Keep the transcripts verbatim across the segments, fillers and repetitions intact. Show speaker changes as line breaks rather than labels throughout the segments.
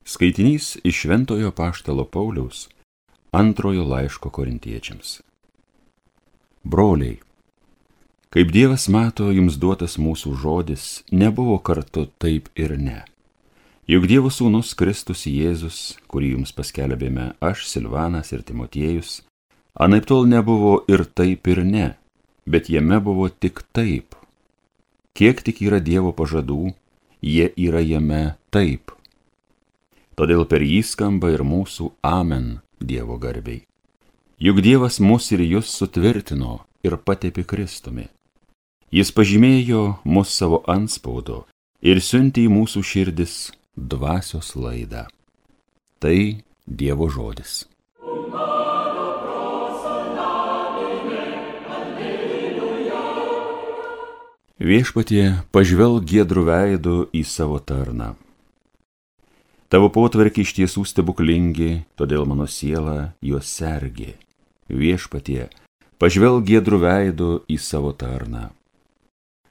Skaitinys iš Šventojo Apaštalo Pauliaus antrojo laiško Korintiečiams. Broliai, kaip Dievas mato, jums duotas mūsų žodis nebuvo kartu taip ir ne. Juk Dievo sūnus Kristus Jėzus, kurį jums paskelbėme aš, Silvanas ir Timotiejus, anaiptol nebuvo ir taip ir ne, bet jame buvo tik taip. Kiek tik yra Dievo pažadų, jie yra jame taip. Todėl per jį skamba ir mūsų amen Dievo garbei. Juk Dievas mus ir jūs sutvirtino ir patepė Kristumi. Jis pažymėjo mus savo antspaudu ir siuntė į mūsų širdis dvasios laidą. Tai Dievo žodis. Viešpatie, pažvelk giedru veidu į savo tarną. Tavo potvarkiai iš tiesų stebuklingi, todėl mano siela juos sergi. Viešpatie, pažvelk giedru veidu į savo tarną.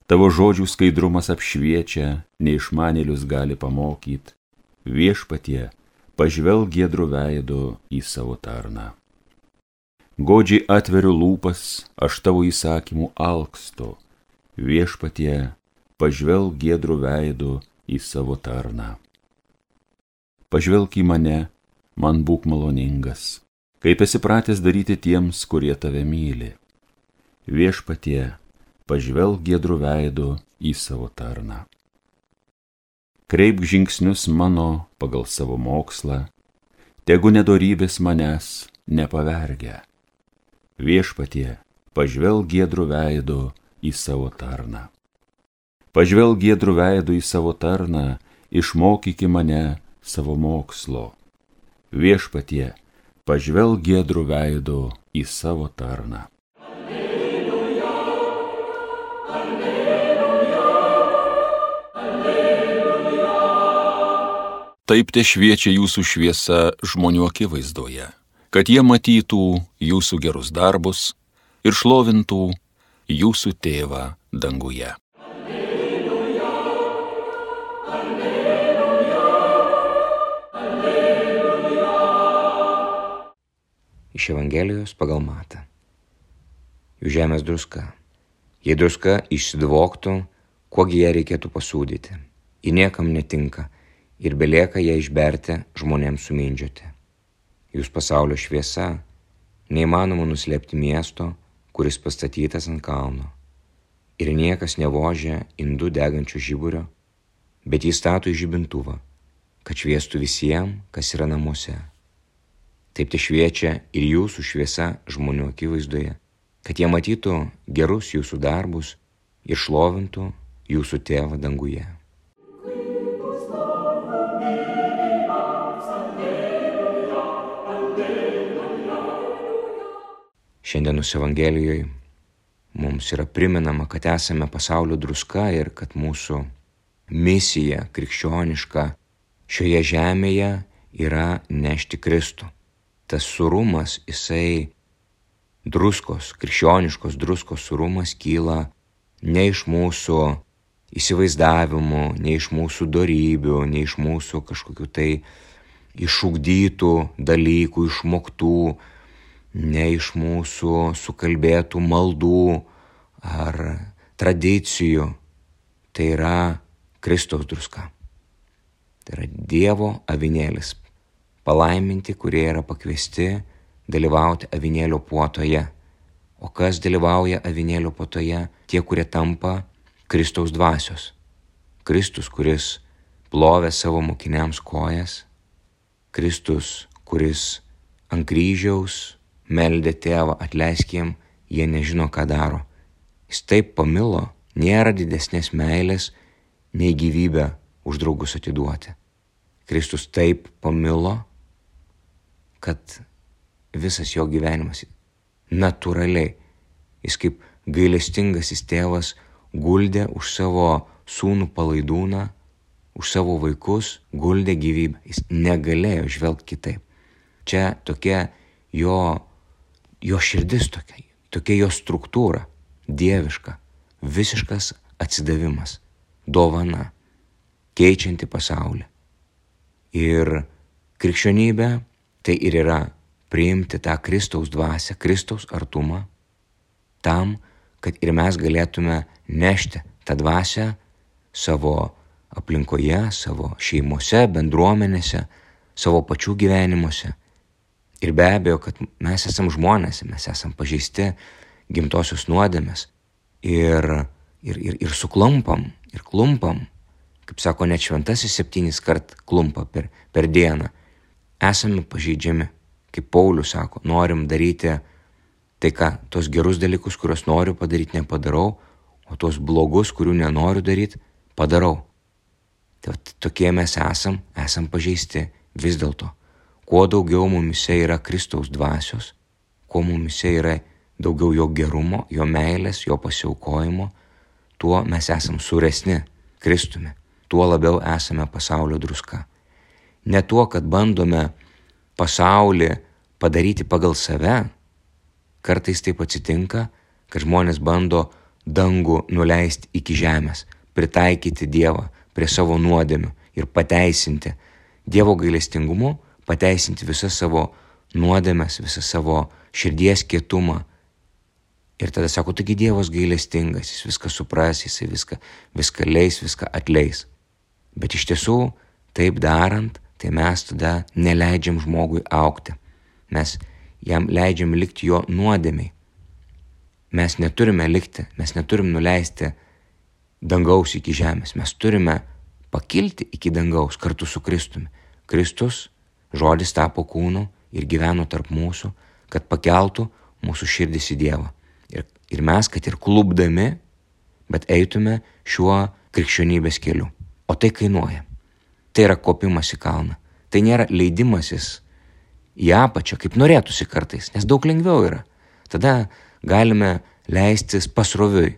Tavo žodžių skaidrumas apšviečia, neišmanėlius gali pamokyti. Viešpatie, pažvelk giedru veidu į savo tarną. Godžiai atveriu lūpas, aš tavo įsakymų alkstu. Viešpatie, pažvelk giedru veidu į savo tarną. Pažvelk į mane, man būk maloningas, kaip esi pratęs daryti tiems, kurie tave myli. Viešpatie, pažvelk giedru veidu į savo tarną. Kreipk žingsnius mano pagal savo mokslą, tegu nedorybės manęs nepavergia. Viešpatie, pažvelk giedru veidu į savo tarną. Pažvelk giedru veidu į savo tarną, išmokyki mane savo mokslo. Viešpatie, pažvelk giedru veidu į savo tarną. Alleluja, alleluja, alleluja. Taip te šviečia jūsų šviesa žmonių akivaizdoje, kad jie matytų jūsų gerus darbus ir šlovintų jūsų tėvą danguje.
Iš Evangelijos pagal Matą. Jūs žemės druska. Jei druska išsidvoktų, kuogi ją reikėtų pasūdyti. Ji niekam netinka ir belieka ją išberti žmonėms sumindžioti. Jūs pasaulio šviesa, neįmanoma nuslėpti miesto, kuris pastatytas ant kalno. Ir niekas nevožia indų degančių žiburio, bet jį stato į žibintuvą, kad šviestų visiems, kas yra namuose. Taip te šviečia ir jūsų šviesa žmonių akivaizdoje, kad jie matytų gerus jūsų darbus ir šlovintų jūsų tėvą danguje. Šiandienos Evangelijoje mums yra primenama, kad esame pasaulio druska ir kad mūsų misija krikščioniška šioje žemėje yra nešti Kristų. Tas surumas, jisai druskos, krikščioniškos druskos surumas kyla ne iš mūsų įsivaizdavimų, ne iš mūsų dorybių, ne iš mūsų kažkokių tai išugdytų dalykų, išmoktų, ne iš mūsų sukalbėtų maldų ar tradicijų. Tai yra Kristaus druska. Tai yra Dievo avinėlis. Palaiminti, kurie yra pakviesti dalyvauti avinėlio puotoje. O kas dalyvauja avinėlio puotoje? Tie, kurie tampa Kristaus dvasios. Kristus, kuris plovė savo mokiniams kojas. Kristus, kuris ant kryžiaus meldė tėvą, atleisk jiem, jie nežino, ką daro. Jis taip pamilo, nėra didesnės meilės, nei gyvybę už draugus atiduoti. Kristus taip pamilo, kad visas jo gyvenimas natūraliai, jis kaip gailestingasis tėvas guldė už savo sūnų palaidūną, už savo vaikus guldė gyvybę. Jis negalėjo žvelgti kitaip. Čia tokia jo, jo širdis, tokia, tokia jo struktūra, dieviška, visiškas atsidavimas, dovana, keičianti pasaulį. Ir krikščionybė tai ir yra priimti tą Kristaus dvasią, Kristaus artumą, tam, kad ir mes galėtume nešti tą dvasią savo aplinkoje, savo šeimose, bendruomenėse, savo pačių gyvenimuose. Ir be abejo, kad mes esam žmonės, mes esam pažeisti gimtosios nuodėmės ir, ir, ir, ir suklumpam, ir klumpam, kaip sako net šventasis septynis kart klumpa per, per dieną. Esame pažeidžiami, kaip Paulius sako, norim daryti tai, ką, tos gerus dalykus, kuriuos noriu padaryti, nepadarau, o tos blogus, kurių nenoriu daryti, padarau. Tai tokie mes esam, esam pažeisti vis dėlto. Kuo daugiau mumise yra Kristaus dvasios, kuo mumise yra daugiau jo gerumo, jo meilės, jo pasiaukojimo, tuo mes esam suresni Kristumi, tuo labiau esame pasaulio druska. Ne tuo, kad bandome pasaulį padaryti pagal save, kartais taip atsitinka, kad žmonės bando dangų nuleisti iki žemės, pritaikyti Dievą prie savo nuodėmių ir pateisinti Dievo gailestingumu, pateisinti visas savo nuodėmes, visą savo širdies kietumą. Ir tada sako, taigi Dievas gailestingas, jis viską supras, jis viską, viską leis, viską atleis. Bet iš tiesų, taip darant, tai mes tada neleidžiam žmogui augti. Mes jam leidžiam likti jo nuodėmiai. Mes neturime likti, mes neturim nuleisti dangaus iki žemės. Mes turime pakilti iki dangaus kartu su Kristumi. Kristus, žodis tapo kūnu ir gyveno tarp mūsų, kad pakeltų mūsų širdis į Dievą. Ir, ir mes, kad ir klupdami, bet eitume šiuo krikščionybės keliu. O tai kainuoja. Tai yra kopimas į kalną. Tai nėra leidimasis į apačią, kaip norėtųsi kartais, nes daug lengviau yra. Tada galime leistis pasroviui.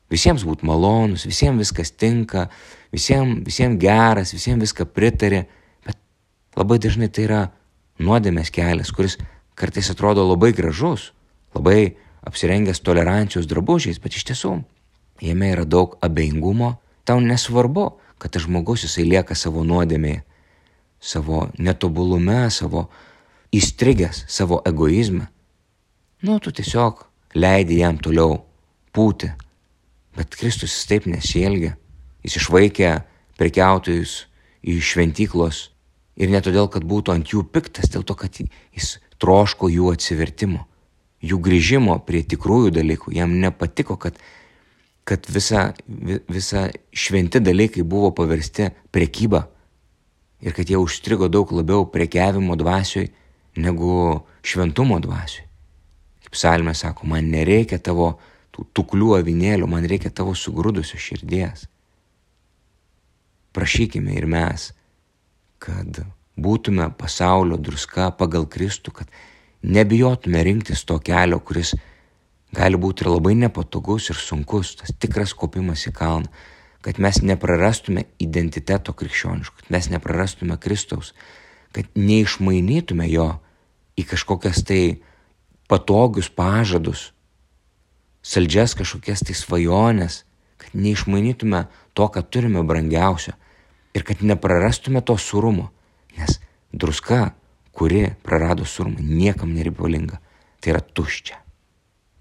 Visiems būt malonus, visiems viskas tinka, visiems, visiems geras, visiems viską pritarė, bet labai dažnai tai yra nuodėmės kelias, kuris kartais atrodo labai gražus, labai apsirengęs tolerancijos drabužiais, bet iš tiesų jame yra daug abejingumo. Tau nesvarbu, kad tas žmogus jisai lieka savo nuodėmėje, savo netobulume, savo įstrigęs, savo egoizme. Nu, tu tiesiog leidi jam toliau pūti. Bet Kristus jis taip nesielgia. Jis išvaikė prekiautojus iš šventyklos ir ne todėl, kad būtų ant jų piktas, dėl to, kad jis troško jų atsivertimo, jų grįžimo prie tikrųjų dalykų. Jam nepatiko, kad, kad visa, visa šventi dalykai buvo paversti prekyba ir kad jie užstrigo daug labiau prekiavimo dvasioj negu šventumo dvasioj. Kaip psalmė sako, man nereikia tavo tų tuklių avinėlių, man reikia tavo sugrūdusios širdies. Prašykime ir mes, kad būtume pasaulio druska pagal Kristų, kad nebijotume rinktis to kelio, kuris gali būti ir labai nepatogus ir sunkus, tas tikras kopimas į kalną, kad mes neprarastume identiteto krikščioniško, kad mes neprarastume Kristaus, kad neišmainytume jo į kažkokias tai patogius pažadus, saldžias kažkokias tai svajonės, kad neišmainytume to, ką turime brangiausio ir kad neprarastume to surumo, nes druska, kuri prarado surumą, niekam nereikalinga, tai yra tuščia.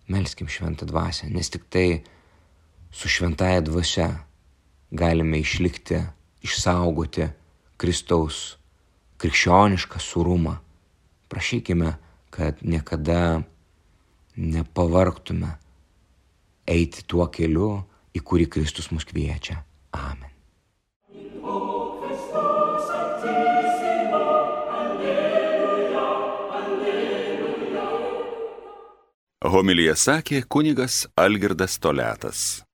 Melskim šventą dvasią, nes tik tai su šventaja dvasia galime išlikti, išsaugoti Kristaus krikščionišką surumą. Prašykime, kad niekada nepavargtume eiti tuo keliu, į kurį Kristus mus kviečia. Amen.
Homiliją sakė kunigas Algirdas Toliatas.